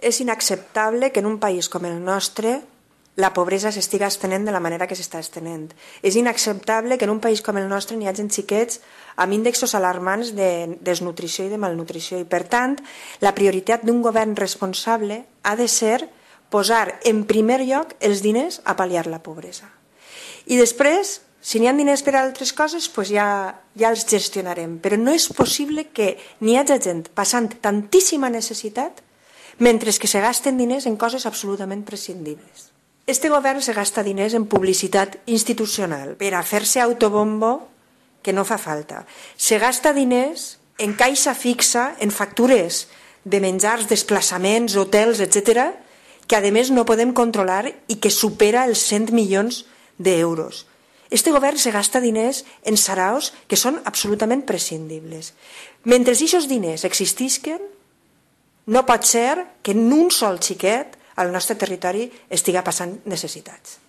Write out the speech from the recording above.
És inacceptable que en un país com el nostre la pobresa s'estiga estenent de la manera que s'està estenent. És inacceptable que en un país com el nostre n'hi hagi xiquets amb índexs alarmants de desnutrició i de malnutrició. I, per tant, la prioritat d'un govern responsable ha de ser posar en primer lloc els diners a pal·liar la pobresa. I després, si n'hi ha diners per a altres coses, doncs ja els gestionarem. Però no és possible que n'hi hagi gent passant tantíssima necessitat mentre que se gasten diners en coses absolutament prescindibles. Este govern se gasta diners en publicitat institucional per a fer-se autobombo que no fa falta. Se gasta diners en caixa fixa, en factures de menjars, desplaçaments, hotels, etc., que a més no podem controlar i que supera els 100 milions d'euros. Este govern se gasta diners en saraos que són absolutament prescindibles. Mentre aquests diners existisquen, no pot ser que en un sol xiquet al nostre territori estiga passant necessitats.